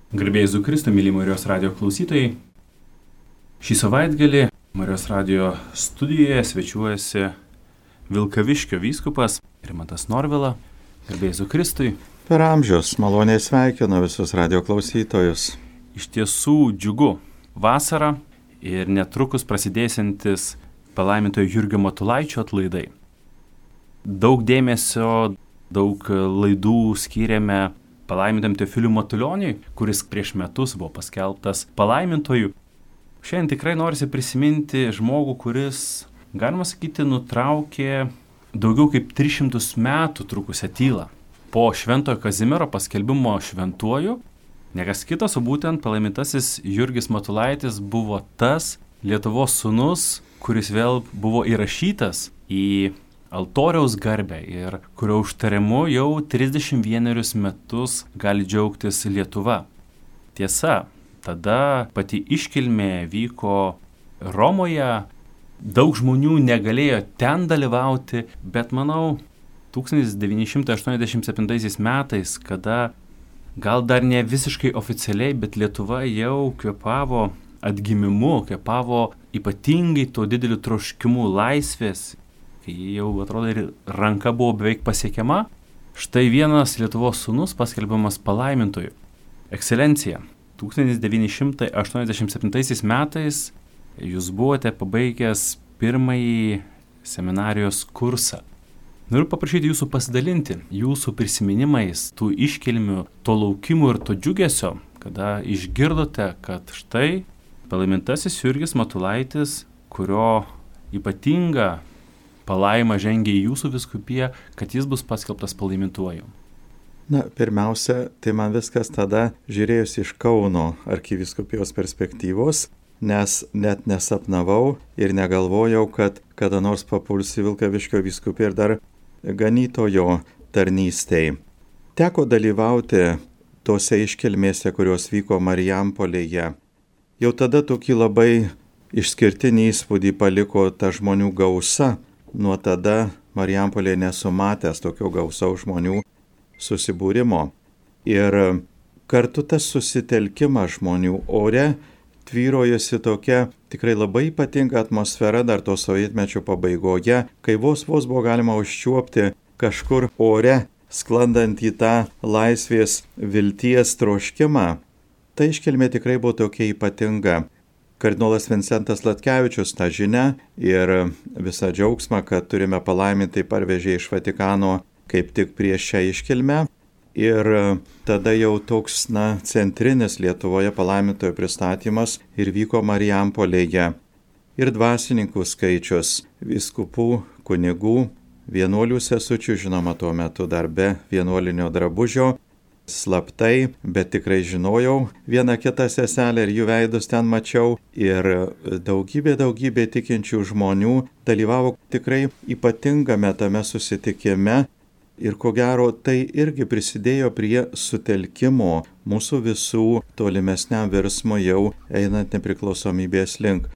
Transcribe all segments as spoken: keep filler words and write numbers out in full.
Garbėjai Jėzui Kristui, myli Marijos radijo klausytojai. Šį savaitgalį Marijos radijo studijoje svečiuojasi Vilkaviškio vyskupas Rimantas Norvila. Garbėjai Jėzui Kristui. Per amžius maloniai sveikinu visus radijo klausytojus. Iš tiesų džiugu. Vasara ir netrukus prasidėsiantis palaimintojo Jurgio Matulaičio atlaidai. Daug dėmesio, daug laidų skyrėme palaimintam Teofiliui Matulioniui, kuris prieš metus buvo paskelbtas palaimintoju. Šiandien tikrai norisi prisiminti žmogų, kuris, galima sakyti, nutraukė daugiau kaip tris šimtus metų trukusią tylą. Po Šventojo Kazimiero paskelbimo šventuoju, niekas kitas, o būtent palaimintasis Jurgis Matulaitis buvo tas Lietuvos sūnus, kuris vėl buvo įrašytas į altoriaus garbę ir kurio užtarimu jau trisdešimt vienerius metus gali džiaugtis Lietuva. Tiesa, tada pati iškilmė vyko Romoje, daug žmonių negalėjo ten dalyvauti, bet manau, tūkstantis devyni šimtai aštuoniasdešimt septintaisiais metais, kada gal dar ne visiškai oficialiai, bet Lietuva jau kvėpavo atgimimu, kvėpavo ypatingai to dideliu troškimu laisvės, kai jau atrodo ir ranka buvo beveik pasiekiama, štai vienas Lietuvos sūnus paskelbiamas palaimintoju. Ekscelencija, tūkstantis devyni šimtai aštuoniasdešimt septintaisiais metais jūs buvote pabaigęs pirmąjį seminarijos kursą. Noriu paprašyti jūsų pasidalinti jūsų prisiminimais, tų iškilmių, to laukimų ir to džiugesio, kada išgirdote, kad štai palaimintasis Jurgis Matulaitis, kurio ypatinga palaima žengia į jūsų vyskupiją, kad jis bus paskelbtas palaimintuoju. Na, pirmiausia, tai man viskas tada žiūrėjus iš Kauno arkivyskupijos perspektyvos, nes net nesapnavau ir negalvojau, kad kada nors papulsiu Vilkaviškio vyskupiją ir dar ganytojo tarnystei. Teko dalyvauti tose iškilmėse, kurios vyko Marijampolėje. Jau tada tokį labai išskirtinį įspūdį paliko ta žmonių gausa. Nuo tada Marijampolėje nesu matęs tokio gausaus žmonių susibūrimo. Ir kartu tas susitelkimas žmonių ore tvyrojosi tokia tikrai labai ypatinga atmosfera dar to sovietmečio pabaigoje, kai vos vos buvo galima užčiuopti kažkur ore, sklandant į tą laisvės vilties troškimą. Ta iškilmė tikrai buvo tokia ypatinga. Kardinolas Vincentas Latkevičius tą žinią ir visą džiaugsmą, kad turime palaimintai parvežė iš Vatikano kaip tik prieš šią iškilmę. Ir tada jau toks, na, centrinis Lietuvoje palaimintojo pristatymas ir vyko Marijampolėje. Ir dvasininkų skaičius, vyskupų, kunigų, vienuolių sesučių, žinoma, tuo metu dar be vienuolinio drabužio, slaptai, bet tikrai žinojau vieną kitą seselę ir jų veidus ten mačiau. Ir daugybė, daugybė tikinčių žmonių dalyvavo tikrai ypatingame tame susitikime. Ir ko gero tai irgi prisidėjo prie sutelkimo mūsų visų tolimesniam virsmui jau einant nepriklausomybės link.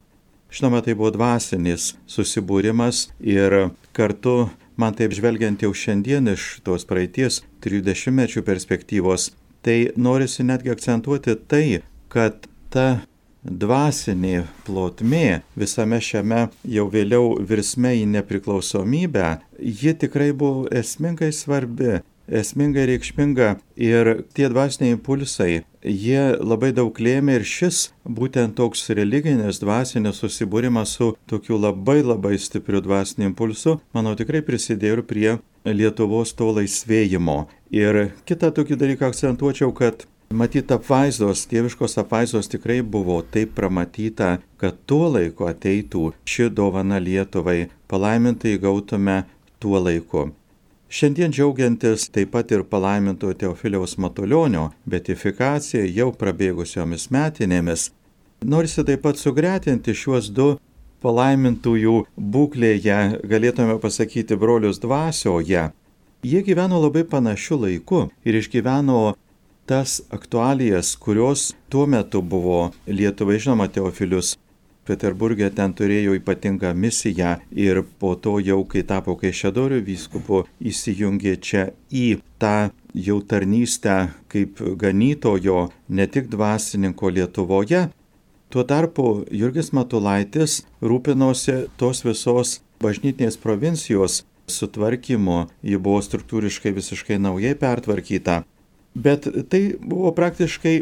Žinoma, tai buvo dvasinis susibūrimas ir kartu man taip žvelgiant jau šiandien iš tos praeities trisdešimtmečių perspektyvos, tai norisi netgi akcentuoti tai, kad ta dvasinė plotmė visame šiame jau vėliau virsme į nepriklausomybę, ji tikrai buvo esmingai svarbi, esmingai reikšminga ir tie dvasiniai impulsai, jie labai daug lėmė ir šis būtent toks religinis dvasinis susibūrimas su tokiu labai labai stipriu dvasiniu impulsu, manau, tikrai prisidėjo ir prie Lietuvos to laisvėjimo. Ir kitą tokį dalyką akcentuočiau, kad matyt apvaizdos, dieviškos apvaizdos tikrai buvo taip pramatyta, kad tuo laiku ateitų ši dovana Lietuvai, palaimintai gautume tuo laiku. Šiandien džiaugiantis taip pat ir palaimintojo Teofiliaus Matulionio beatifikacija jau prabėgusiomis metinėmis, norisi taip pat sugretinti šiuos du palaimintųjų būklėje, galėtume pasakyti, brolius dvasioje. Jie gyveno labai panašiu laiku ir išgyveno tas aktualijas, kurios tuo metu buvo Lietuvai. Žinoma, Teofilius Peterburge ten turėjo ypatingą misiją ir po to jau, kai tapo Kaišiadorių vyskupu, įsijungė čia į tą jau tarnystę kaip ganytojo, ne tik dvasininko Lietuvoje. Tuo tarpu Jurgis Matulaitis rūpinosi tos visos bažnytinės provincijos sutvarkymu, ji buvo struktūriškai visiškai naujai pertvarkyta. Bet tai buvo praktiškai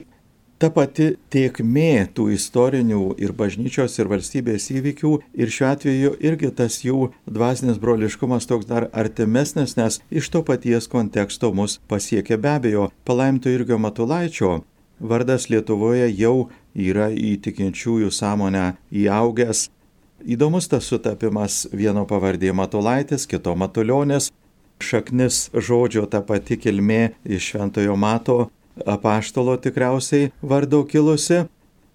ta pati tėkmė tų istorinių ir bažnyčios ir valstybės įvykių ir šiuo atveju irgi tas jų dvasinis broliškumas toks dar artimesnis, nes iš to paties konteksto mus pasiekė be abejo. Palaiminto Jurgio Matulaičio vardas Lietuvoje jau yra į tikinčiųjų sąmonę įaugęs. Įdomus tas sutapimas, vieno pavardė Matulaitis, kito Matulionis, šaknis žodžio ta pati kilmė iš Šventojo Mato apaštalo tikriausiai vardo kilusi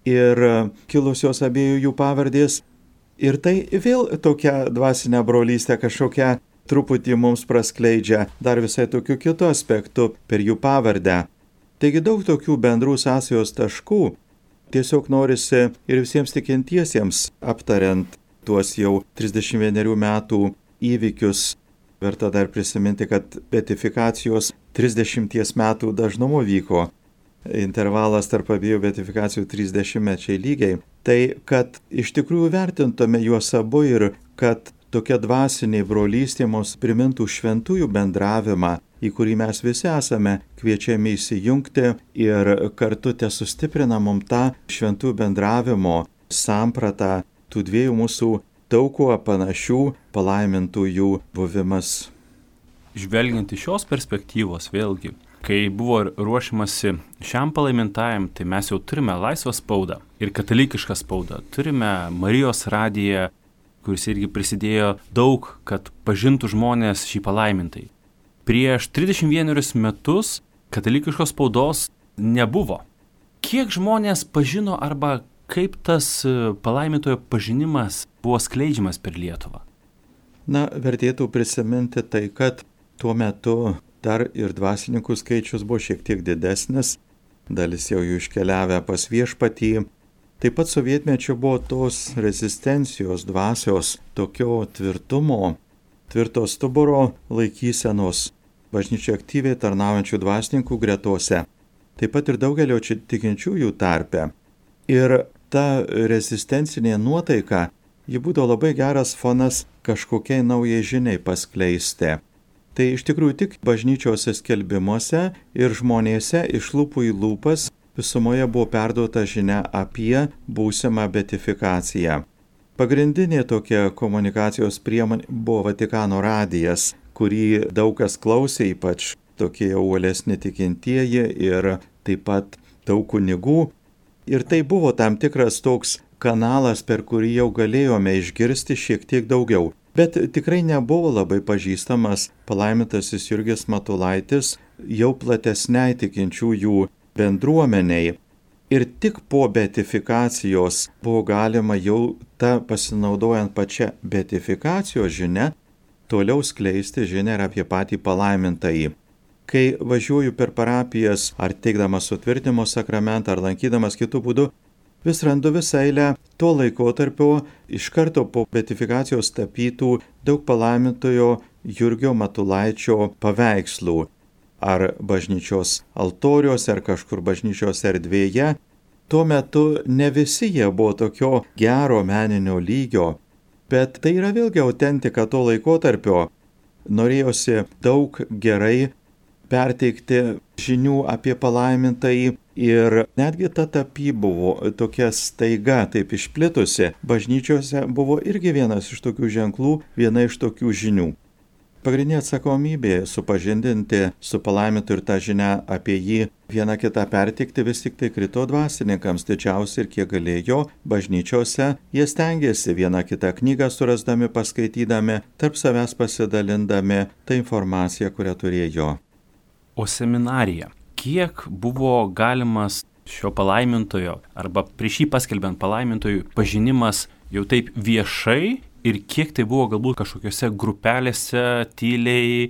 ir kilusios abiejų jų pavardės. Ir tai vėl tokia dvasinė brolystė kažkokia truputį mums praskleidžia dar visai tokių kitų aspektų per jų pavardę. Taigi daug tokių bendrų sąsajos taškų. Tiesiog norisi ir visiems tikintiesiems aptariant tuos jau trisdešimt vienerių metų įvykius. Verta dar prisiminti, kad beatifikacijos trisdešimties metų dažnumu vyko. Intervalas tarp abiejų beatifikacijų trisdešimtmečiai lygiai. Tai, kad iš tikrųjų vertintume juos abu ir kad tokia dvasinė brolystė mums primintų šventųjų bendravimą, į kurį mes visi esame kviečiami įsijungti ir kartu te sustiprina mums tą šventųjų bendravimo sampratą tų dviejų mūsų daug kuo panašių palaimintųjų buvimas. Žvelgiant iš šios perspektyvos vėlgi, kai buvo ruošiamasi šiam palaimintajam, tai mes jau turime laisvą spaudą ir katalikišką spaudą. Turime Marijos radiją, kuris irgi prisidėjo daug, kad pažintų žmonės šį palaimintai. Prieš trisdešimt vienerius metus katalikiškos spaudos nebuvo. Kiek žmonės pažino arba kaip tas palaimintojo pažinimas buvo skleidžiamas per Lietuvą? Na, vertėtų prisiminti tai, kad tuo metu dar ir dvasininkų skaičius buvo šiek tiek didesnis, dalis jau jų iškeliavę pas viešpatį. Taip pat sovietmečiu buvo tos rezistencijos dvasios, tokio tvirtumo, tvirto stuburo laikysenos bažnyčiai aktyviai tarnaujančių dvasininkų gretose, taip pat ir daugelio čia tikinčiųjų tarpe. Ir ta rezistencinė nuotaika, ji būdavo labai geras fonas kažkokiai naujai žiniai paskleisti. Tai iš tikrųjų tik bažnyčios skelbimuose ir žmonėse iš lūpų į lūpas visumoje buvo perduota žinia apie būsimą beatifikaciją. Pagrindinė tokia komunikacijos priemonė buvo Vatikano radijas, kurį daug kas klausė, ypač tokie uolesni tikintieji ir taip pat daug kunigų. Ir tai buvo tam tikras toks kanalas, per kurį jau galėjome išgirsti šiek tiek daugiau. Bet tikrai nebuvo labai pažįstamas palaimintasis Jurgis Matulaitis jau platesniai tikinčiųjų bendruomeniai. Ir tik po beatifikacijos buvo galima jau tą pasinaudojant pačią beatifikacijos žinią toliau skleisti žinią ir apie patį palaimintąjį. Kai važiuoju per parapijas, ar teikdamas sutvirtinimo sakramentą, ar lankydamas kitų būdų, vis randu visą eilę to laikotarpio iš karto po beatifikacijos tapytų daug palaimintojo Jurgio Matulaičio paveikslų. Ar bažnyčios altoriuose, ar kažkur bažnyčios erdvėje. Tuo metu ne visi jie buvo tokio gero meninio lygio, bet tai yra vėlgi autentika to laikotarpio. Norėjosi daug gerai perteikti žinių apie palaimintąjį ir netgi ta tapyba buvo tokia staiga taip išplitusi. Bažnyčiose buvo irgi vienas iš tokių ženklų, viena iš tokių žinių. Pagrindinė atsakomybė supažindinti su palaimintu ir tą žinią apie jį vieną kitą perteikti vis tik tai krito dvasininkams didžiausiai ir kiek galėjo bažnyčiose. Jie stengiasi vieną kitą knygą surasdami, paskaitydami, tarp savęs pasidalindami tą informaciją, kurią turėjo. O seminarija, kiek buvo galimas šio palaimintojo arba prieš jį paskelbiant palaimintojų pažinimas jau taip viešai ir kiek tai buvo galbūt kažkokiose grupelėse tyliai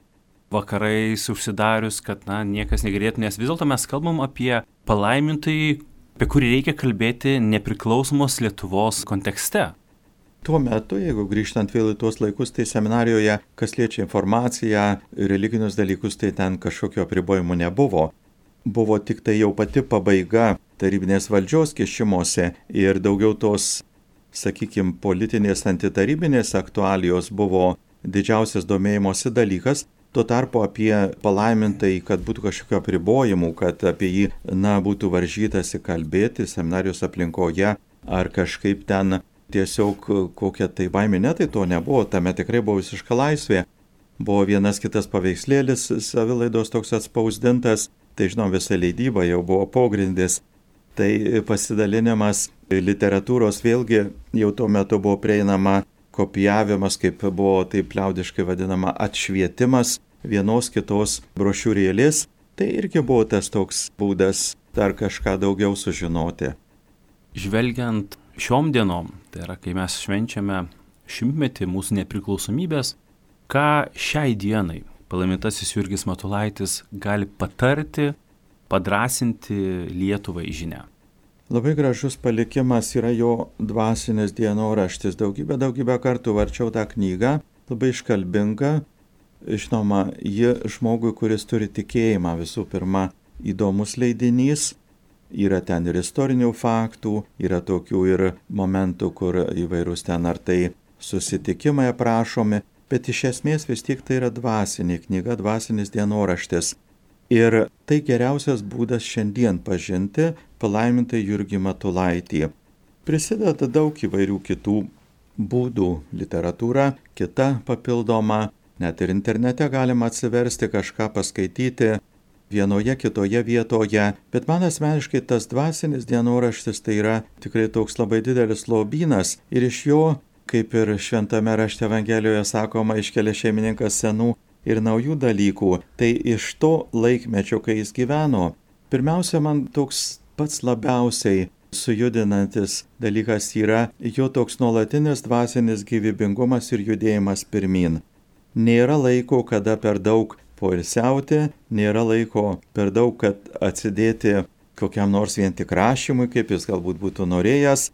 vakarais užsidarius, kad na, niekas negirdėtų, nes vis dėlto mes kalbam apie palaimintojį, apie kurį reikia kalbėti nepriklausomos Lietuvos kontekste. Tuo metu, jeigu grįžtant vėl į tuos laikus, tai seminarijoje, kas liečia informaciją, religinius dalykus, tai ten kažkokio apribojimų nebuvo. Buvo tik tai jau pati pabaiga tarybinės valdžios kišimosi ir daugiau tos, sakykime, politinės antitarybinės aktualijos buvo didžiausias domėjimosi dalykas. Tuo tarpu apie palaimintai, kad būtų kažkokio apribojimų, kad apie jį, na, būtų varžytasi kalbėti seminarijos aplinkoje ar kažkaip ten tiesiog kokia tai baimė, ne, tai to nebuvo, tame tikrai buvo visiška laisvė. Buvo vienas kitas paveikslėlis savilaidos toks atspausdintas, tai žinom, visa leidyba jau buvo pogrindis. Tai pasidalinimas literatūros vėlgi jau tuo metu buvo prieinama, kopijavimas, kaip buvo taip liaudiškai vadinama, atšvietimas vienos kitos brošiūrėlės. Tai irgi buvo tas toks būdas dar kažką daugiau sužinoti. Žvelgiant šiom dienom, tai yra, kai mes švenčiame šimtmetį mūsų nepriklausomybės, ką šiai dienai palaimintasis Jurgis Matulaitis gali patarti, padrąsinti Lietuvai žinią? Labai gražus palikimas yra jo dvasinis dienoraštis. Daugybę, daugybę kartų varčiau tą knygą, labai iškalbinga. Žinoma, ji žmogui, kuris turi tikėjimą, visų pirma, įdomus leidinys. Yra ten ir istorinių faktų, yra tokių ir momentų, kur įvairūs ten ar tai susitikimai aprašomi, bet iš esmės vis tiek tai yra dvasinė knyga, dvasinis dienoraštis. Ir tai geriausias būdas šiandien pažinti palaimintą Jurgį Matulaitį. Prisideda daug įvairių kitų būdų - literatūra, kita papildoma, net ir internete galima atsiversti, kažką paskaityti vienoje kitoje vietoje, bet man asmeniškai tas dvasinis dienoraštis tai yra tikrai toks labai didelis lobynas ir iš jo, kaip ir šventame rašte Evangelijoje sakoma, iškelia šeimininkas senų ir naujų dalykų, tai iš to laikmečio, kai jis gyveno, pirmiausia, man toks pats labiausiai sujudinantis dalykas yra jo toks nuolatinis dvasinis gyvybingumas ir judėjimas pirmin. Nėra laiko, kada per daug poilsiauti, nėra laiko per daug, kad atsidėti kokiam nors vien tik rašymui, kaip jis galbūt būtų norėjęs,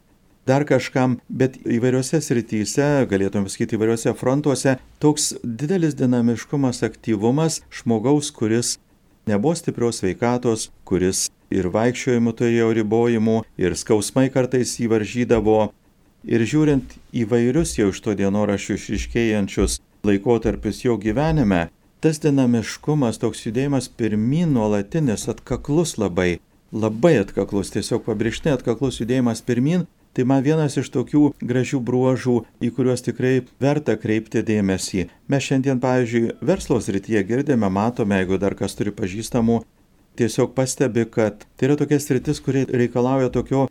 dar kažkam, bet įvairiose srityse, galėtume sakyti įvairiose frontuose, toks didelis dinamiškumas, aktyvumas žmogaus, kuris nebuvo stiprios sveikatos, kuris ir vaikščiojimų turėjo ribojimų, ir skausmai kartais įvaržydavo. Ir žiūrint įvairius jau iš to dienoraščių išryškėjančius laikotarpius jo gyvenime, tas dinamiškumas, toks judėjimas pirmyn nuolatinis, atkaklus labai, labai atkaklus, tiesiog pabrėžtinai atkaklus judėjimas pirmyn, tai man vienas iš tokių gražių bruožų, į kuriuos tikrai verta kreipti dėmesį. Mes šiandien, pavyzdžiui, verslo srityje girdime, matome, jeigu dar kas turi pažįstamų, tiesiog pastebi, kad tai yra tokia sritis, kuri reikalauja tokio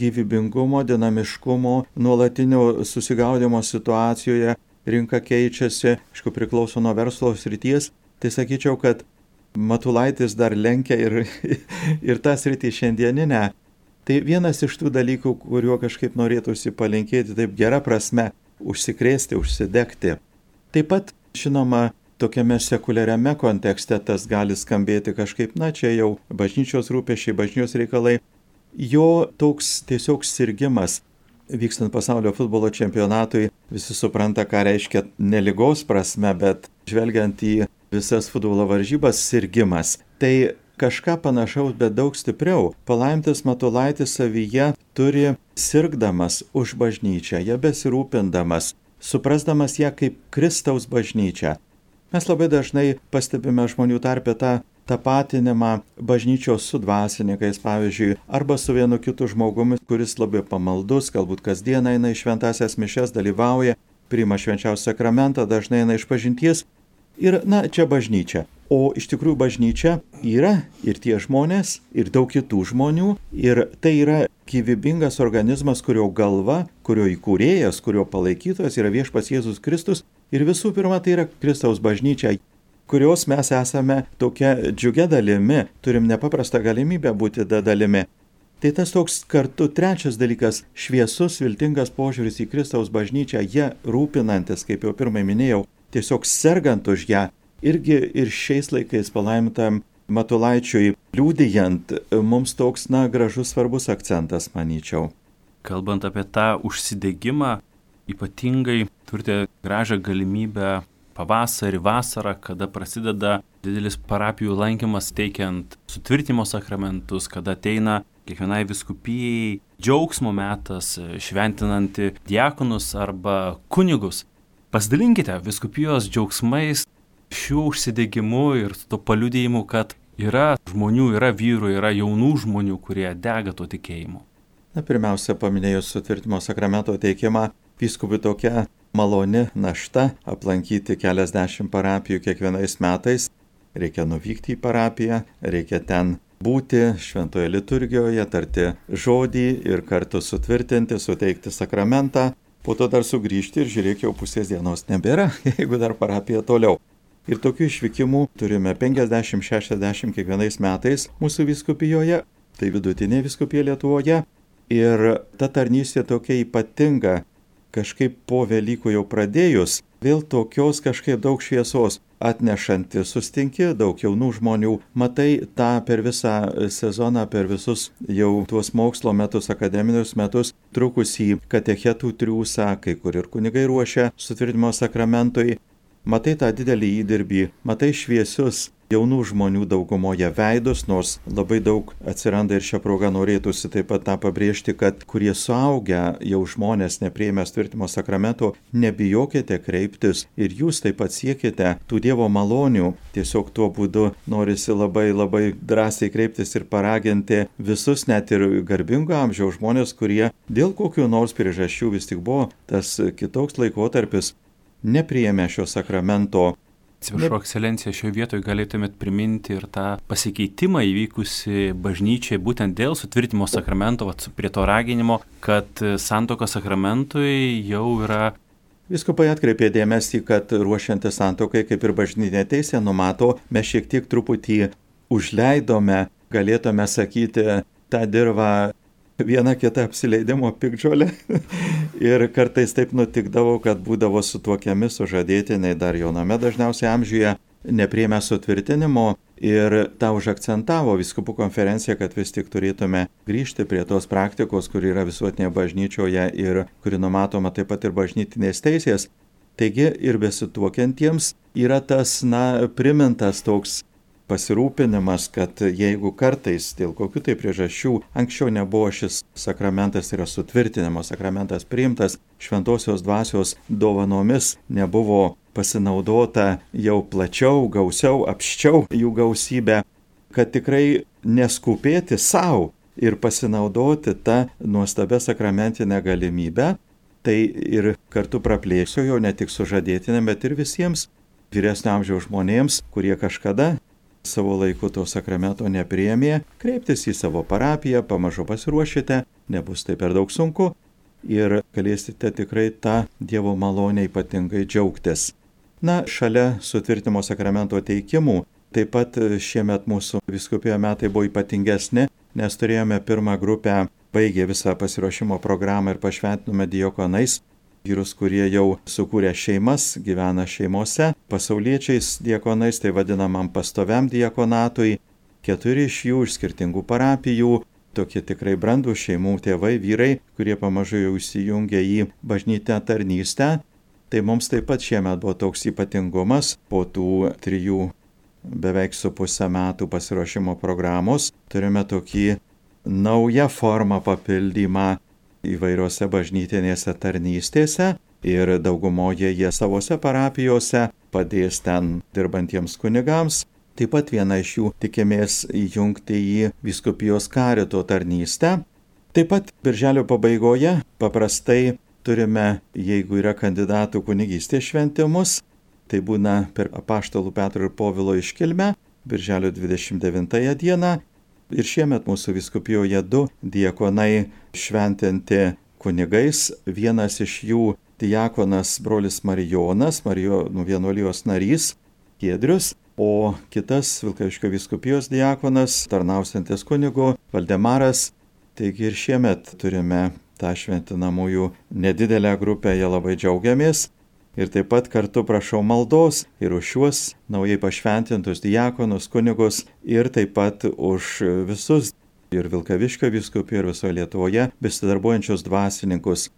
gyvybingumo, dinamiškumo, nuolatinio susigaudimo situacijoje, rinka keičiasi, aišku, priklauso nuo verslo srities, tai sakyčiau, kad Matulaitis dar lenkia ir, ir tą sritį šiandieninę. Tai vienas iš tų dalykų, kuriuo kažkaip norėtųsi palinkėti taip gera prasme, užsikrėsti, užsidegti. Taip pat, žinoma, tokiame sekuliariame kontekste tas gali skambėti kažkaip, na čia jau bažnyčios rūpesčiai, bažnyčios reikalai. Jo toks tiesiog sirgimas, vykstant pasaulio futbolo čempionatui, visi supranta, ką reiškia ne ligos prasme, bet žvelgiant į visas futbolo varžybas, sirgimas. Tai kažką panašaus, bet daug stipriau. Palaimintas Matulaitis savyje turi sirgdamas už bažnyčią, ją besirūpindamas, suprasdamas ją kaip Kristaus bažnyčią. Mes labai dažnai pastebime žmonių tarpe tą tapatinimą bažnyčios su dvasininkais, pavyzdžiui, arba su vienu kitu žmogumi, kuris labai pamaldus, galbūt kasdien eina į šventąsias mišias, dalyvauja, priima švenčiausią sakramentą, dažnai eina iš pažinties. Ir, na, čia bažnyčia. O iš tikrųjų bažnyčia yra ir tie žmonės, ir daug kitų žmonių, ir tai yra gyvybingas organizmas, kurio galva, kurio įkūrėjas, kurio palaikytojas yra viešpats Jėzus Kristus, ir visų pirma tai yra Kristaus bažnyčia, kurios mes esame tokia džiugia dalimi, turim nepaprastą galimybę būti da dalimi. Tai tas toks kartu trečias dalykas - šviesus, viltingas požiūris į Kristaus bažnyčią, ją rūpinantis, kaip jau pirmai minėjau, tiesiog sergant už ją. Irgi ir šiais laikais palaimintam Matulaičiui liūdijant, mums toks, na, gražus svarbus akcentas, manyčiau. Kalbant apie tą užsidegimą, ypatingai turite gražią galimybę pavasarį, vasarą, kada prasideda didelis parapijų lankymas teikiant sutvirtinimo sakramentus, kada ateina kiekvienai vyskupijai džiaugsmo metas, šventinanti diakonus arba kunigus. Pasidalinkite vyskupijos džiaugsmais, šiuo užsidegimu ir to paliudijimu, kad yra žmonių, yra vyrų, yra jaunų žmonių, kurie dega to tikėjimu. Na, pirmiausia, paminėjus sutvirtinimo sakramento teikimą, vyskupui tokia maloni našta aplankyti keliasdešimt parapijų kiekvienais metais. Reikia nuvykti į parapiją, reikia ten būti šventoje liturgijoje, tarti žodį ir kartu sutvirtinti, suteikti sakramentą, po to dar sugrįžti ir žiūrėk, jau pusės dienos nebėra, jeigu dar parapija toliau. Ir tokių išvykimų turime penkiasdešimt šešiasdešimt kiekvienais metais mūsų vyskupijoje, tai vidutinė vyskupija Lietuvoje. Ir ta tarnystė tokia ypatinga, kažkaip po Velykų jau pradėjus, vėl tokios kažkaip daug šviesos atnešanti, sustinki daug jaunų žmonių, matai tą per visą sezoną, per visus jau tuos mokslo metus, akademinius metus, trukusį katechetų triūsą, kai kur ir kunigai ruošia sutvirtinimo sakramentui, matai tą didelį įdirbį, matai šviesius jaunų žmonių daugumoje veidus, nors labai daug atsiranda ir šią progą norėtųsi taip pat tą pabrėžti, kad kurie suaugę jau žmonės nepriėmę sutvirtinimo sakramento, nebijokite kreiptis ir jūs taip pat siekite tų Dievo malonių. Tiesiog tuo būdu norisi labai labai drąsiai kreiptis ir paraginti visus, net ir garbingo amžiaus žmonės, kurie dėl kokių nors priežasčių vis tik buvo tas kitoks laikotarpis, nepriėmė šio sakramento. Atsiprašau, ekscelencija, šioje vietoje galėtumėt priminti ir tą pasikeitimą įvykusi bažnyčiai būtent dėl sutvirtinimo sakramento, vat, prie to raginimo, kad santuokos sakramentui jau yra. Vyskupai atkreipė dėmesį, kad ruošiantis santuokai, kaip ir bažnytinė teisė numato, mes šiek tiek truputį užleidome, galėtume sakyti, tą dirvą vieną kitą apsileidimo piktžolę. Ir kartais taip nutikdavo, kad būdavo sutuokiami sužadėtiniai dar jauname dažniausiai amžiuje, nepriėmė sutvirtinimo ir tą užakcentavo vyskupų konferencija, kad vis tik turėtume grįžti prie tos praktikos, kuri yra visuotinėje bažnyčioje ir kuri numatoma taip pat ir bažnytinės teisės. Taigi ir besituokiantiems yra tas, na, primintas toks pasirūpinimas, kad jeigu kartais dėl kokių tai priežasčių anksčiau nebuvo šis sakramentas, yra sutvirtinimo sakramentas priimtas, šventosios dvasios dovanomis nebuvo pasinaudota jau plačiau, gausiau, apščiau jų gausybę, kad tikrai neskubėti savo ir pasinaudoti tą nuostabę sakramentinę galimybę, tai ir kartu praplėsiu jau ne tik sužadėtinėm, bet ir visiems vyresnio amžiaus žmonėms, kurie kažkada savo laiku to sakramento nepriėmė, kreiptis į savo parapiją, pamažu pasiruošite, nebus tai per daug sunku ir galėsite tikrai tą Dievo malonę ypatingai džiaugtis. Na, šalia sutvirtinimo sakramento teikimų, taip pat šiemet mūsų vyskupijoje metai buvo ypatingesni, nes turėjome pirmą grupę, baigė visą pasiruošimo programą ir pašventinome diakonais, vyrus, kurie jau sukūrė šeimas, gyvena šeimose, pasauliečiais diakonais, tai vadinamam pastoviam diakonatui, keturi iš jų iš skirtingų parapijų, tokie tikrai brandų šeimų tėvai, vyrai, kurie pamažu jau įsijungia į bažnytinę tarnystę. Tai mums taip pat šiemet buvo toks ypatingumas po tų trijų beveik su pusę metų pasiruošimo programos. Turime tokį naują formą papildymą įvairiose bažnytinėse tarnystėse ir daugumoje jie savose parapijose padės ten dirbantiems kunigams. Taip pat viena iš jų tikimės įjungti į vyskupijos karito tarnystę. Taip pat birželio pabaigoje paprastai turime, jeigu yra kandidatų kunigystės šventimus, tai būna per apaštalų Petro ir Povilo iškilmę, birželio dvidešimt devintąją dieną. Ir šiemet mūsų vyskupijoje du diakonai šventinti kunigais. Vienas iš jų diakonas brolis Marijonas, Marijonų vienuolijos narys Giedrius, o kitas Vilkaviškio vyskupijos diakonas, tarnausiantis kunigu Valdemaras. Taigi ir šiemet turime tą šventinamųjų nedidelę grupę, jie labai džiaugiamės. Ir taip pat kartu prašau maldos ir už šiuos naujai pašventintus diakonus, kunigus ir taip pat už visus ir Vilkaviškio vyskupijoje ir visoje Lietuvoje besidarbuojančius dvasininkus.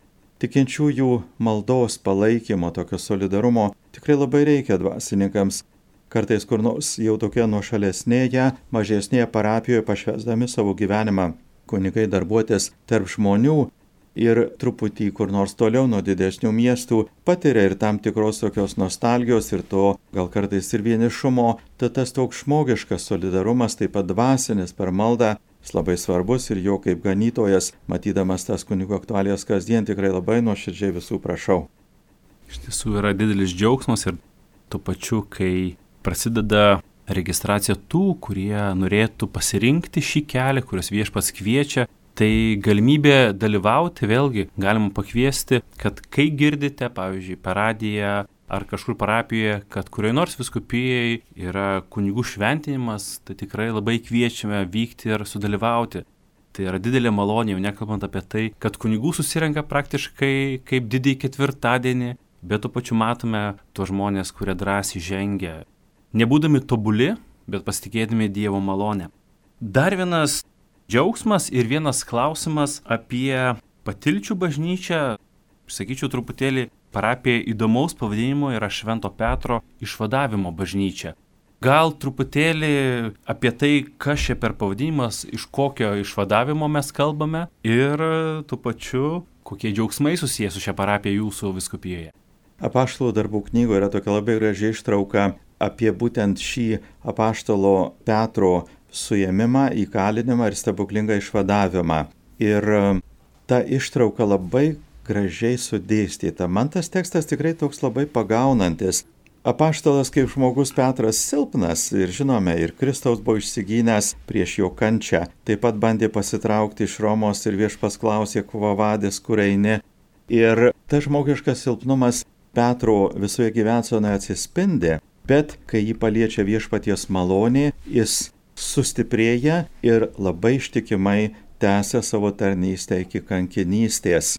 Tikinčiųjų maldos, palaikymo, tokio solidarumo tikrai labai reikia dvasininkams. Kartais kur nors jau tokia nuošalesnėje, mažesnėje parapijoje pašvęsdami savo gyvenimą kunigai darbuotis tarp žmonių ir truputį kur nors toliau nuo didesnių miestų patiria ir tam tikros tokios nostalgijos ir to gal kartais ir vienišumo, tad tas toks žmogiškas solidarumas, taip pat dvasinis per maldą, jis labai svarbus ir jo kaip ganytojas, matydamas tas kunigų aktualijas kasdien, tikrai labai nuoširdžiai visų prašau. Iš tiesų yra didelis džiaugsmas ir tuo pačiu, kai prasideda registracija tų, kurie norėtų pasirinkti šį kelią, kurios viešpats kviečia, tai galimybė dalyvauti, vėlgi galima pakviesti, kad kai girdite, pavyzdžiui, per radiją ar kažkur parapijoje, kad kurioje nors vyskupijai yra kunigų šventinimas, tai tikrai labai kviečiame vykti ir sudalyvauti. Tai yra didelė malonė, jau nekalbant apie tai, kad kunigų susirenka praktiškai kaip didįjį ketvirtadienį, bet tuo pačiu matome tuos žmonės, kurie drąsiai žengia, nebūdami tobuli, bet pasitikėdami Dievo malonę. Dar vienas džiaugsmas ir vienas klausimas apie Patilčių bažnyčią, sakyčiau truputėlį parapija įdomaus pavadinimo yra Švento Petro išvadavimo bažnyčia. Gal truputėlį apie tai, kas čia per pavadinimas, iš kokio išvadavimo mes kalbame ir tuo pačiu, kokie džiaugsmai susiję su šia parapija jūsų vyskupijoje. Apaštalų darbų knygoje yra tokia labai graži ištrauka apie būtent šį apaštalo Petro suėmimą, įkalinimą ir stebuklingą išvadavimą. Ir ta ištrauka labai gražiai sudėstyta. Man tas tekstas tikrai toks labai pagaunantis. Apaštalas kaip žmogus Petras silpnas ir žinome, ir Kristaus buvo išsigynęs prieš jo kančią. Taip pat bandė pasitraukti iš Romos ir viešpats klausė, kuo vadis, kur eini. Ir tas žmogiškas silpnumas Petro visoje gyvensenoje atsispindi, bet kai jį paliečia viešpaties malonė, jis sustiprėja ir labai ištikimai tęsia savo tarnystę iki kankinystės.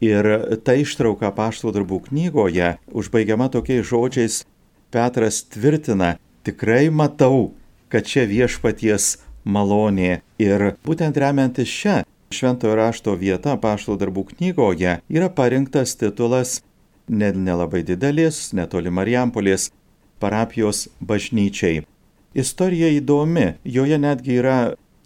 Ir ta ištrauka Apaštalų darbų knygoje užbaigiama tokiais žodžiais, Petras tvirtina, tikrai matau, kad čia viešpaties malonė. Ir būtent remiantis šią šventojo rašto vietą Apaštalų darbų knygoje yra parinktas titulas nelabai didelės, netoli Marijampolės parapijos bažnyčiai. Istorija įdomi, joje netgi yra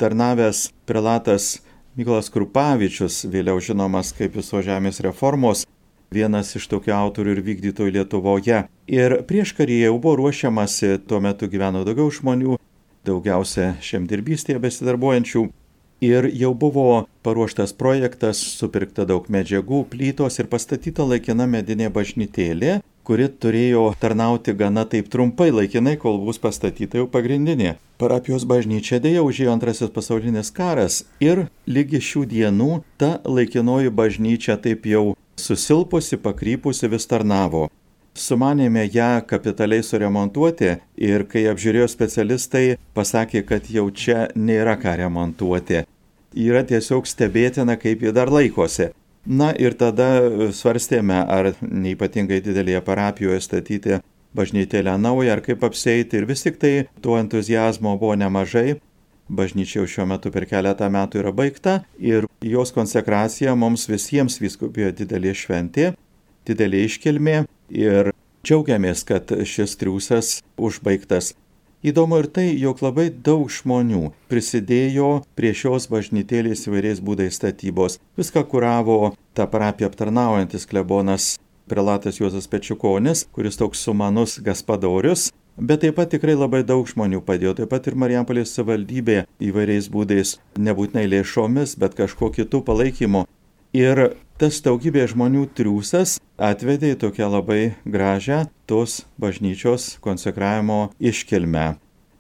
tarnavęs prelatas Mykolas Krupavičius, vėliau žinomas kaip Visos žemės reformos, vienas iš tokių autorių ir vykdytojų Lietuvoje. Ir prieš karį jau buvo ruošiamasi, tuo metu gyveno daugiau žmonių, daugiausia žemdirbystėje besidarbuojančių. Ir jau buvo paruoštas projektas, supirkta daug medžiagų, plytos ir pastatyta laikina medinė bažnytėlė, kuri turėjo tarnauti gana taip trumpai laikinai, kol bus pastatyta jau pagrindinė. Parapijos bažnyčia dėja užėjo antrasis pasaulinis karas ir lygi šių dienų ta laikinoji bažnyčia taip jau susilpusi, pakrypusi vis tarnavo. Sumanėme ją kapitaliai suremontuoti ir kai apžiūrėjo specialistai, pasakė, kad jau čia nėra ką remontuoti. Yra tiesiog stebėtina, kaip ji dar laikosi. Na ir tada svarstėme, ar neypatingai didelėje parapijoje statyti bažnytėlę naują, ar kaip apseiti. Ir vis tik tai to entuzijazmo buvo nemažai. Bažnyčia jau šiuo metu per keletą metų yra baigta ir jos konsekracija mums visiems vyskupijoje didelė šventė, didelė iškilmė ir džiaugiamės, kad šis triūsas užbaigtas. Įdomu ir tai, jog labai daug žmonių prisidėjo prie šios bažnytėlės įvairiais būdais statybos. Viską kuravo tą parapiją aptarnaujantis klebonas prelatas Juozas Pečiukonis, kuris toks sumanus gaspadorius, bet taip pat tikrai labai daug žmonių padėjo, taip pat ir Marijampolės savivaldybė įvairiais būdais, nebūtinai lėšomis, bet kažko kitų palaikymo. Ir tas daugybė žmonių triūsas atvedė į tokią labai gražią tos bažnyčios konsekravimo iškilmę.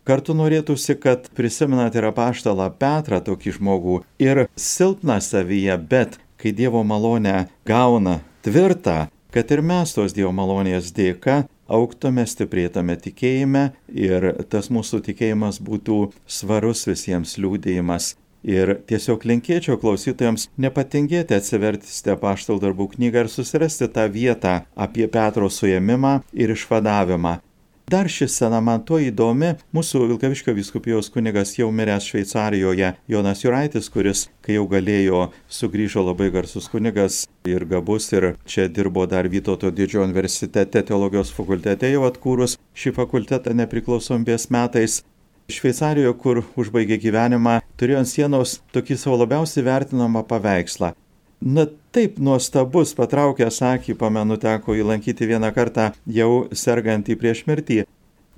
Kartu norėtųsi, kad prisimenat ir apaštalą Petrą, tokį žmogų, ir silpną savyje, bet kai Dievo malonę gauna tvirtą, kad ir mes tos Dievo malonės dėka augtume, stiprėtume tikėjime ir tas mūsų tikėjimas būtų svarus visiems liūdėjimas. Ir tiesiog linkėčiau klausytojams nepatingėti atsiversti Apaštalų darbų knygą ir susirasti tą vietą apie Petro suėmimą ir išvadavimą. Dar ši scena man tuo įdomi, mūsų Vilkaviškio vyskupijos kunigas jau miręs Šveicarijoje, Jonas Juraitis, kuris, kai jau galėjo, sugrįžo labai garsus kunigas ir gabus ir čia dirbo dar Vytauto didžiojo universitete, teologijos fakultete jau atkūrus šį fakultetą nepriklausomybės metais. Šveicarijoje, kur užbaigė gyvenimą, turėjo ant sienos tokį savo labiausiai vertinamą paveikslą. Na taip nuostabus, patraukęs akį, pamenu, teko įlankyti vieną kartą jau sergantį prieš mirtį.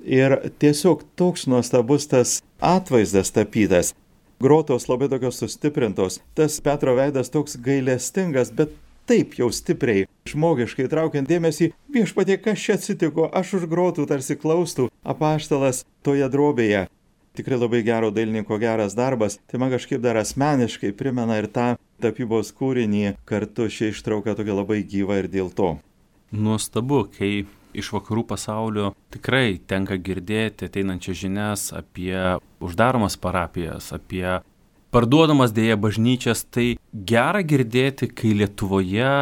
Ir tiesiog toks nuostabus tas atvaizdas tapytas. Grotos labai tokios sustiprintos, tas Petro veidas toks gailestingas, bet taip jau stipriai, žmogiškai traukiant dėmesį, viešpatie, kas čia atsitiko, aš už grotų tarsi klaustų apaštalas toje drobėje. Tikrai labai gero dailininko geras darbas, tai man kažkaip dar asmeniškai primena ir tą tapybos kūrinį, kartu ši ištrauka tokia labai gyva ir dėl to. Nuostabu, kai iš vakarų pasaulio tikrai tenka girdėti ateinančias žinias apie uždaromas parapijas, apie parduodamas dėja bažnyčias, tai gera girdėti, kai Lietuvoje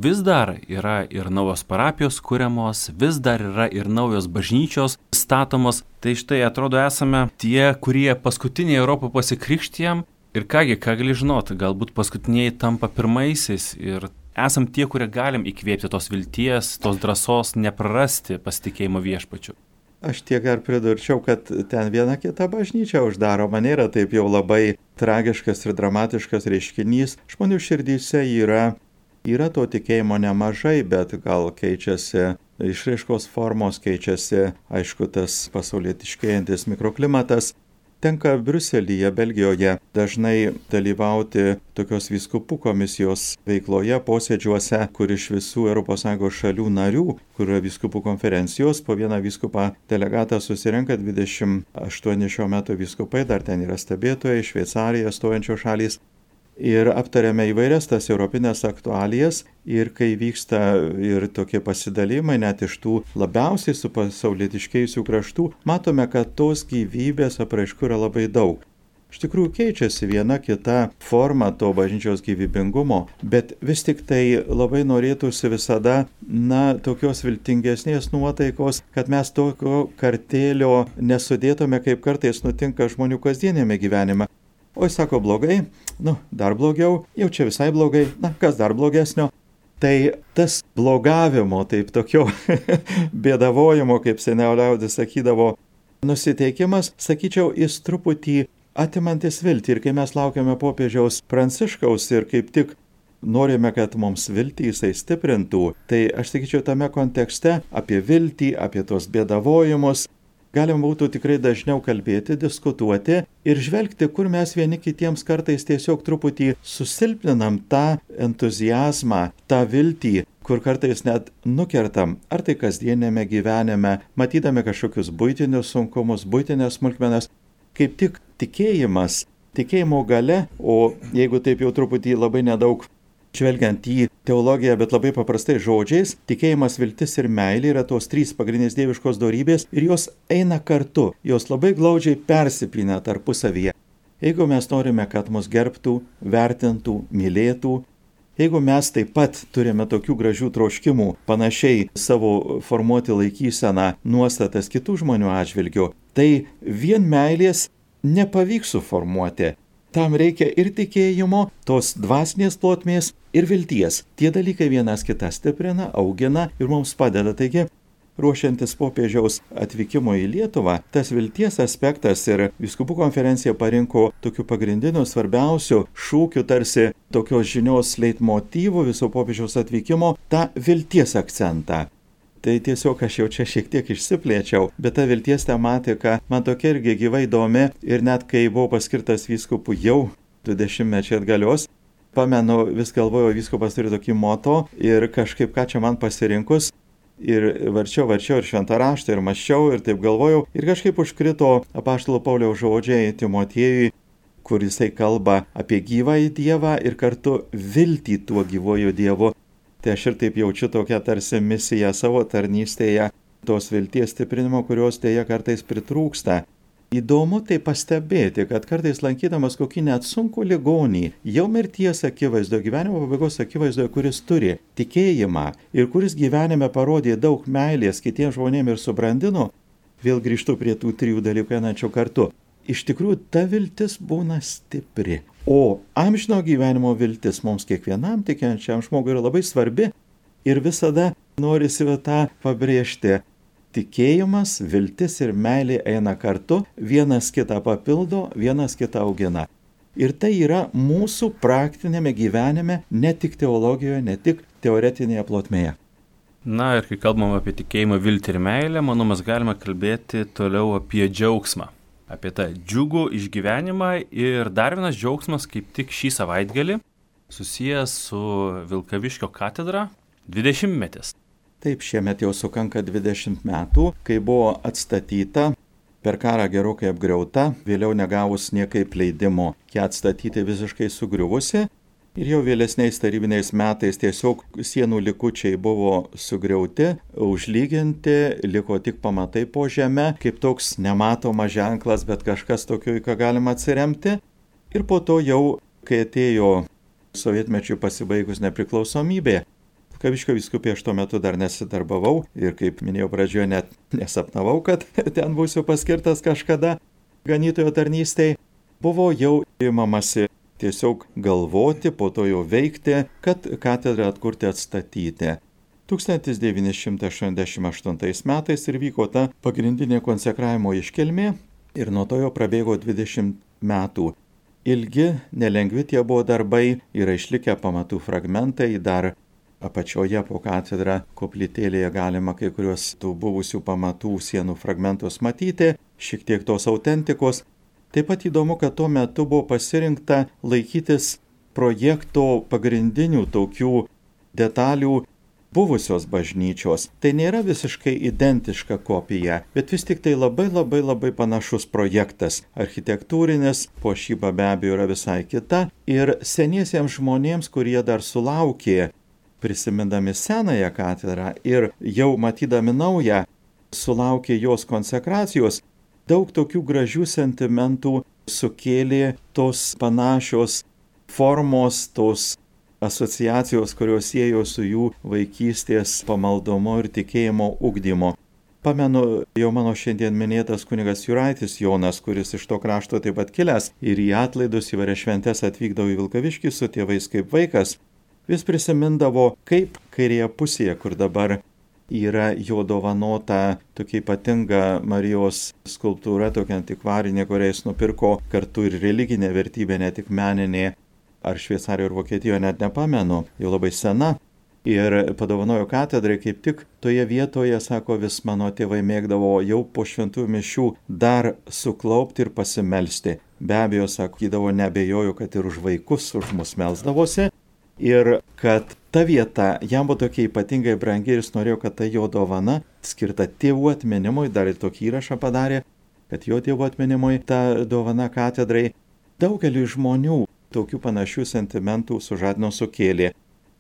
vis dar yra ir naujos parapijos kuriamos, vis dar yra ir naujos bažnyčios statomos. Tai štai atrodo esame tie, kurie paskutiniai Europą pasikrikštijam ir kągi, ką gali žinoti, galbūt paskutiniai tampa pirmaisiais ir esam tie, kurie galim įkvėpti tos vilties, tos drąsos, neprarasti pasitikėjimo viešpačiu. Aš tiek ar pridurčiau, kad ten viena kita bažnyčia uždaroma, nėra taip jau labai tragiškas ir dramatiškas reiškinys. Žmonių širdyse yra, yra to tikėjimo nemažai, bet gal keičiasi išraiškos formos, keičiasi, aišku, tas pasaulietiškėjantis mikroklimatas. Tenka Briuselyje, Belgijoje dažnai dalyvauti tokios vyskupų komisijos veikloje, posėdžiuose, kur iš visų Europos Sąjungos šalių narių, kur yra vyskupų konferencijos, po vieną vyskupą delegatą susirenka dvidešimt aštuoni šio meto vyskupai, dar ten yra stebėtojai, Šveicarija, stojančios šalys. Ir aptarėme įvairias tas europinės aktualijas ir kai vyksta ir tokie pasidalymai net iš tų labiausiai supasaulietiškėjusių kraštų, matome, kad tos gyvybės apraiškų yra labai daug. Iš tikrųjų keičiasi viena kita forma to bažnyčios gyvybingumo, bet vis tik tai labai norėtųsi visada, na, tokios viltingesnės nuotaikos, kad mes tokio kartėlio nesudėtume, kaip kartais nutinka žmonių kasdienėme gyvenime. Oi, sako, blogai, nu, dar blogiau, jau čia visai blogai, na, kas dar blogesnio. Tai tas blogavimo, taip tokio bėdavojimo, kaip seniau liaudis sakydavo, nusiteikimas, sakyčiau, jis truputį atimantis viltį. Ir kai mes laukiame popiežiaus Pranciškaus ir kaip tik norime, kad mums viltį jisai stiprintų, tai aš sakyčiau, tame kontekste apie viltį, apie tos bėdavojimus, galima būtų tikrai dažniau kalbėti, diskutuoti ir žvelgti, kur mes vieni kitiems kartais tiesiog truputį susilpninam tą entuziazmą, tą viltį, kur kartais net nukertam, ar tai kasdienėme gyvenime, matydami kažkokius buitinius sunkumus, buitinės smulkmenas, kaip tik tikėjimas, tikėjimo gale, o jeigu taip jau truputį labai nedaug žvelgiant į teologiją, bet labai paprastai žodžiais, tikėjimas, viltis ir meilė yra tos trys pagrindinės dieviškos dorybės ir jos eina kartu, jos labai glaudžiai persipina tarpusavyje. Jeigu mes norime, kad mus gerbtų, vertintų, mylėtų, jeigu mes taip pat turime tokių gražių troškimų, panašiai savo formuoti laikyseną, nuostatas kitų žmonių atžvilgių, tai vien meilės nepavyks suformuoti. Tam reikia ir tikėjimo, tos dvasinės plotmės ir vilties. Tie dalykai vienas kitą stiprina, augina ir mums padeda. Taigi, ruošiantis popiežiaus atvykimo į Lietuvą, tas vilties aspektas ir vyskupų konferencija parinko tokių pagrindinių svarbiausių šūkių, tarsi tokios žinios leitmotyvų viso popiežiaus atvykimo, tą vilties akcentą. Tai tiesiog aš jau čia šiek tiek išsiplėčiau, bet ta vilties tematika man tokia irgi gyvai įdomi ir net kai buvau paskirtas vyskupu jau du dešimtmečiai atgalios, pamenu, vis galvojau, vyskupas turi tokį moto ir kažkaip ką čia man pasirinkus ir varčiau, varčiau ir šventą raštą ir mąsčiau ir taip galvojau ir kažkaip užkrito apaštalo Pauliaus žodžiai Timotiejui, kur jisai kalba apie gyvąjį Dievą ir kartu viltį tuo gyvuoju Dievu. Tai aš ir taip jaučiu tokią tarsi misiją savo tarnystėje, tos vilties stiprinimo, kurios dėja kartais pritrūksta. įdomu tai pastebėti, kad kartais lankydamas kokį net sunkų ligonį, jau mirties akivaizdoje, gyvenimo pabaigos akivaizdoje, kuris turi tikėjimą ir kuris gyvenime parodė daug meilės kitiems žmonėms ir subrandino, vėl grįžtu prie tų trijų dalykų einančių kartu. Iš tikrųjų, ta viltis būna stipri. O amžino gyvenimo viltis mums kiekvienam tikinčiam žmogui yra labai svarbi ir visada norisi tą pabrėžti. Tikėjimas, viltis ir meilė eina kartu, vienas kitą papildo, vienas kitą augina. Ir tai yra mūsų praktinėme gyvenime, ne tik teologijoje, ne tik teoretinėje plotmėje. Na ir kai kalbam apie tikėjimą, viltį ir meilę, manau, mes galime kalbėti toliau apie džiaugsmą. Apie tą džiugų išgyvenimą ir dar vienas džiaugsmas kaip tik šį savaitgalį susijęs su Vilkaviškio katedra dvidešimtmetis. Taip, šiemet jau sukanka dvidešimt metų, kai buvo atstatyta, per karą gerokai apgriauta, vėliau negavus niekaip leidimo ją atstatyti visiškai sugriuvusi. Ir jau vėlesniais tarybiniais metais tiesiog sienų likučiai buvo sugriauti, užlyginti, liko tik pamatai po žeme, kaip toks nematomas ženklas, bet kažkas tokio, į ką galima atsiremti. Ir po to jau, kai atėjo sovietmečiui pasibaigus nepriklausomybė, Vilkaviškio vyskupija aš tuo metu dar nesidarbavau ir, kaip minėjau pradžioje, net nesapnavau, kad ten būsiu paskirtas kažkada ganytojo tarnystėj. Buvo jau imamasi tiesiog galvoti, po to jau veikti, kad katedrą atkurti atstatyti. tūkstantis devyni šimtai aštuoniasdešimt aštuntais metais ir vyko ta pagrindinė konsekravimo iškilmė ir nuo to jau prabėgo dvidešimt metų. Ilgi, nelengvi tie buvo darbai, yra išlikę pamatų fragmentai, dar apačioje po katedrą koplytėlėje galima kai kuriuos tų buvusių pamatų sienų fragmentus matyti, šiek tiek tos autentikos. Taip pat įdomu, kad tuo metu buvo pasirinkta laikytis projekto pagrindinių tokių detalių buvusios bažnyčios. Tai nėra visiškai identiška kopija, bet vis tik tai labai labai labai panašus projektas. Architektūrinis, puošyba be abejo yra visai kita ir seniesiems žmonėms, kurie dar sulaukė, prisimindami senąją katedrą ir jau matydami naują, sulaukė jos konsekracijos, daug tokių gražių sentimentų sukėlė tos panašios formos, tos asociacijos, kurios siejo su jų vaikystės pamaldumu ir tikėjimo ugdymo. Pamenu, jau mano šiandien minėtas kunigas Juraitis Jonas, kuris iš to krašto taip pat kilęs ir į atlaidus įvairias šventes atvykdavo į Vilkaviškį su tėvais kaip vaikas. Vis prisimindavo, kaip kairėje pusėje, kur dabar yra jo dovanota tokia ypatinga Marijos skulptūra, tokia antikvarinė, kurią jis nupirko kartu ir religinė vertybė, ne tik meninė, ar Šveicarijoje ir Vokietijoje, net nepamenu, jau labai sena. Ir padovanojo katedrai kaip tik toje vietoje, sako, vis mano tėvai mėgdavo jau po šventųjų mišių dar suklaupti ir pasimelsti. Be abejo, sakydavo, nebejoju, kad ir už vaikus, už mus melsdavosi. Ir kad ta vieta jam buvo tokia ypatingai brangi ir jis norėjo, kad ta jo dovana skirta tėvų atminimui, dar ir tokį įrašą padarė, kad jo tėvų atminimui ta dovana katedrai daugeliu žmonių tokių panašių sentimentų sužadino sukėlė.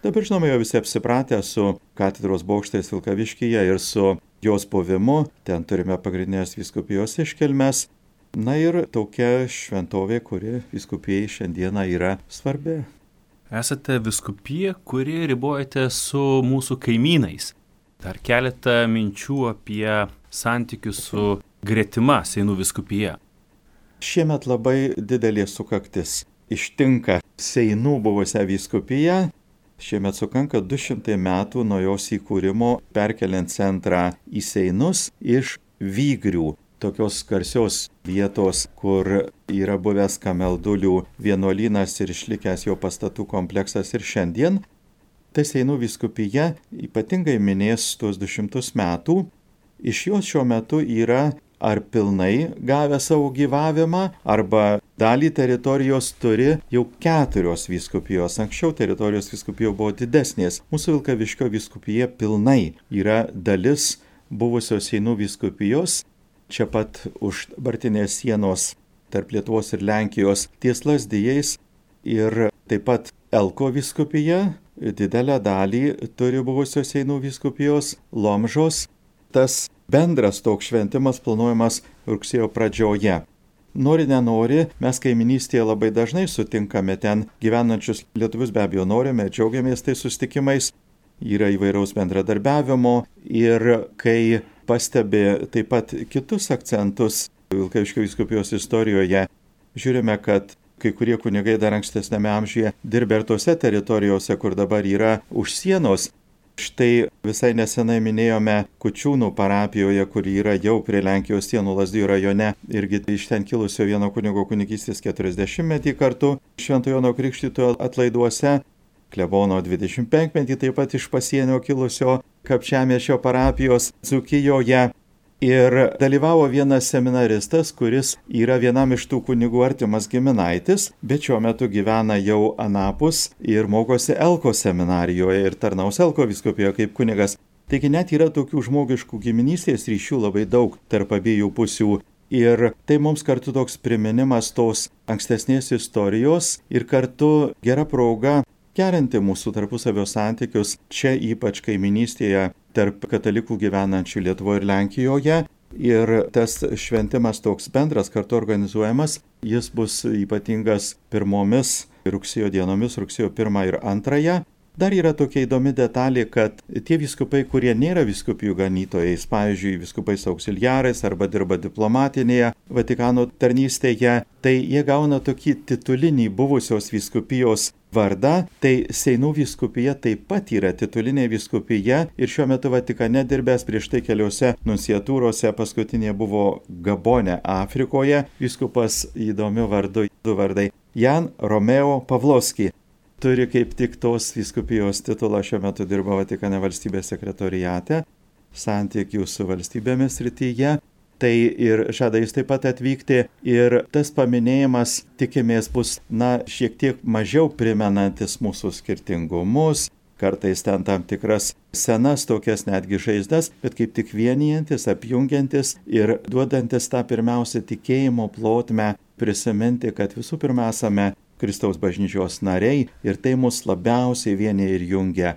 Dabar žinoma, jau visi apsipratę su katedros bokštais Vilkaviškyje ir su jos buvimu, ten turime pagrindinės vyskupijos iškilmes. Na ir tokia šventovė, kuri vyskupijai šiandieną yra svarbi. Esate vyskupija, kuri ribojate su mūsų kaimynais. Dar keletą minčių apie santykius su gretima Seinų vyskupija. Šiemet labai didelė sukaktis ištinka Seinų buvusią vyskupiją. Šiemet sukanka du šimtai metų nuo jos įkūrimo, perkeliant centrą į Seinus iš Vygrių, tokios garsios vietos, kur yra buvęs Kameldulių vienuolynas ir išlikęs jo pastatų kompleksas ir šiandien. Tai Seinų vyskupija ypatingai minės tuos du šimtus metų. Iš jos šiuo metu yra ar pilnai gavę savo gyvavimą, arba dalį teritorijos turi jau keturios vyskupijos. Anksčiau teritorijos vyskupijos buvo didesnės. Mūsų Vilkaviškio vyskupija pilnai yra dalis buvusios Seinų vyskupijos. Čia pat už dabartinės sienos tarp Lietuvos ir Lenkijos ties Lazdijais ir taip pat Elko vyskupija didelę dalį turi buvusios Seinų vyskupijos Lomžos. Tas bendras toks šventimas planuojamas rugsėjo pradžioje. Nori nenori, mes kaiminystėje labai dažnai sutinkame ten gyvenančius lietuvius, be abejo norime, džiaugiamės tai susitikimais, yra įvairaus bendradarbiavimo ir kai pastebi taip pat kitus akcentus Vilkaviškio vyskupijos istorijoje, žiūrime, kad kai kurie kunigai dar ankstesnėme amžiuje dirbė ir tose teritorijose, kur dabar yra už sienos. Štai visai nesenai minėjome Kučiūnų parapijoje, kur yra jau prie Lenkijos sienų Lazdijų rajone, irgi iš ten kilusio vieno kunigo kunigystės keturiasdešimtmetį kartu Švento Jono Krikštytojo atlaiduose, klebono dvidešimtpenkmetį taip pat iš pasienio kilusio Kapčiamiesčio parapijos Dzūkijoje. Ir dalyvavo vienas seminaristas, kuris yra vienam iš tų kunigų artimas giminaitis, bet šiuo metu gyvena jau anapus ir mokosi Elko seminarijoje ir tarnaus Elko vyskupijoje kaip kunigas. Taigi net yra tokių žmogiškų giminystės ryšių labai daug tarp abiejų pusių. Ir tai mums kartu toks priminimas tos ankstesnės istorijos ir kartu gera proga gerinti mūsų tarpusavio santykius čia ypač kaiminystėje tarp katalikų gyvenančių Lietuvoje ir Lenkijoje. Ir tas šventimas toks bendras kartu organizuojamas, jis bus ypatingas pirmomis rugsėjo dienomis, rugsėjo pirmą ir antrąją. Dar yra tokia įdomi detalė, kad tie vyskupai, kurie nėra vyskupijų ganytojais, pavyzdžiui, vyskupais auxiliarais arba dirba diplomatinėje Vatikano tarnystėje, tai jie gauna tokį titulinį buvusios vyskupijos vardą. Tai Seinų vyskupija taip pat yra titulinė vyskupija ir šiuo metu Vatikane dirbęs prieš tai keliose nunciatūrose, paskutinė buvo Gabone, Afrikoje, vyskupas įdomiu vardu, du vardai, Jan Romeo Pavlovski. Turi kaip tik tos vyskupijos titulą, šiuo metu dirba Vatikane valstybės sekretoriate, santykių su valstybėmis srityje. Tai ir žada jis taip pat atvykti ir tas paminėjimas, tikimės, bus, na, šiek tiek mažiau primenantis mūsų skirtingumus, kartais ten tam tikras senas tokias netgi žaizdas, bet kaip tik vienijantis, apjungiantis ir duodantis tą pirmiausia tikėjimo plotmę, prisiminti, kad visų pirma esame Kristaus bažnyčios nariai ir tai mus labiausiai vienija ir jungia.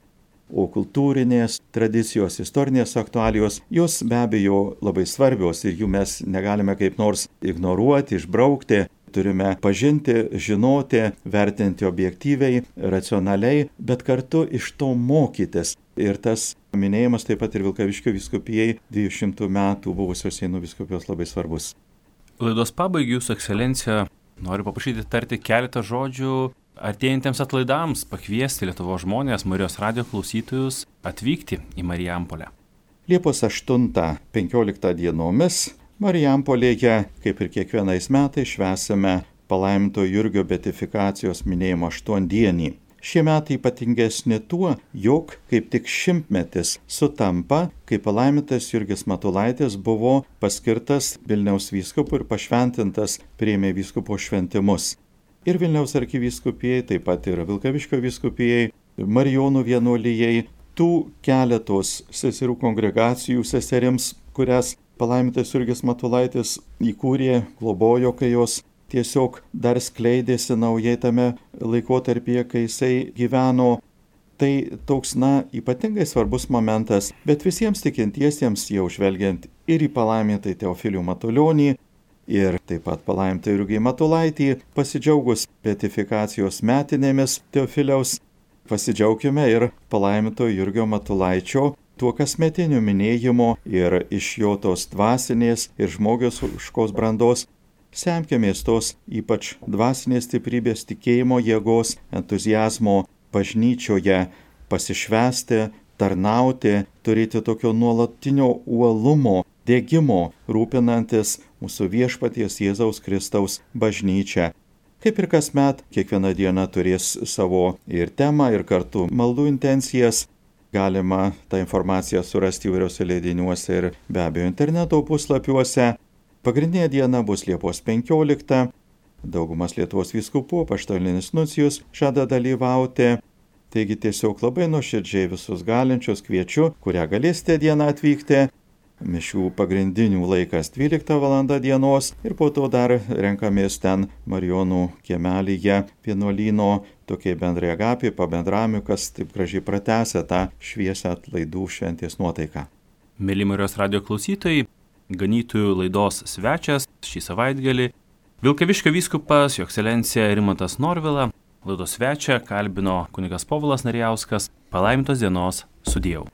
O kultūrinės tradicijos, istorinės aktualijos, jos be abejo labai svarbios ir jų mes negalime kaip nors ignoruoti, išbraukti. Turime pažinti, žinoti, vertinti objektyviai, racionaliai, bet kartu iš to mokytis. Ir tas minėjimas taip pat ir Vilkaviškio vyskupijai dviejų šimtų metų buvusios Seinų vyskupijos labai svarbus. Laidos pabaigai, Jūsų ekscelencija, noriu paprašyti tarti keletą žodžių artėjantiems atlaidams, pakviesti Lietuvos žmonės, Marijos radijo klausytojus atvykti į Marijampolę. Liepos aštuntą penkioliktą dienomis Marijampolėje, kaip ir kiekvienais metais, švęsime palaiminto Jurgio beatifikacijos minėjimo aštuondienį. Šie metai ypatingesni tuo, jog kaip tik šimtmetis sutampa, kai palaimintas Jurgis Matulaitis buvo paskirtas Vilniaus vyskupu ir pašventintas, priėmė vyskupo šventimus. Ir Vilniaus arkivyskupijai, taip pat ir Vilkaviškio vyskupijai, Marijonų vienuolijai, tų keletos seserų kongregacijų seserims, kurias palaimintas Jurgis Matulaitis įkūrė, globojo, kai jos tiesiog dar skleidėsi naujai tame laikotarpyje, kai jisai gyveno. Tai toks, na, ypatingai svarbus momentas, bet visiems tikintiesiems jau žvelgiant ir į palaimintą Teofilių Matulionį, ir taip pat palaimintą Jurgį Matulaitį, pasidžiaugus beatifikacijos metinėmis Teofiliaus, pasidžiaukime ir palaiminto Jurgio Matulaičio tuo kasmetiniu minėjimu ir iš jo tos dvasinės ir žmogiškos brandos. Semkimės tos ypač dvasinės stiprybės, tikėjimo jėgos, entuziazmo bažnyčioje, pasišvęsti, tarnauti, turėti tokio nuolatinio uolumo, dėgymo, rūpinantis mūsų viešpaties Jėzaus Kristaus bažnyčia. Kaip ir kasmet, kiekviena diena turės savo ir temą, ir kartu maldų intencijas. Galima tą informaciją surasti įvairiuose leidiniuose ir be abejo interneto puslapiuose. Pagrindinė diena bus Liepos penkioliktą. Daugumas Lietuvos vyskupų, apaštalinis nuncijus žada dalyvauti. Taigi tiesiog labai nuoširdžiai visus galinčius kviečiu, kurią galėsite dieną atvykti. Mišių pagrindinių laikas dvylikta valanda dienos ir po to dar renkamės ten Marijonų kiemelyje vienuolyno tokiai bendrai agapijai, pabendravimui, kas taip gražiai pratęsia tą šviesią atlaidų šventės nuotaiką. Mėly Marijos radijo klausytojai, ganytojų laidos svečias šį savaitgalį Vilkaviškio vyskupas, jo ekscelencija Rimantas Norvila. Laidos svečią kalbino kunigas Povilas Narijauskas. Palaimintos dienos, sudieu.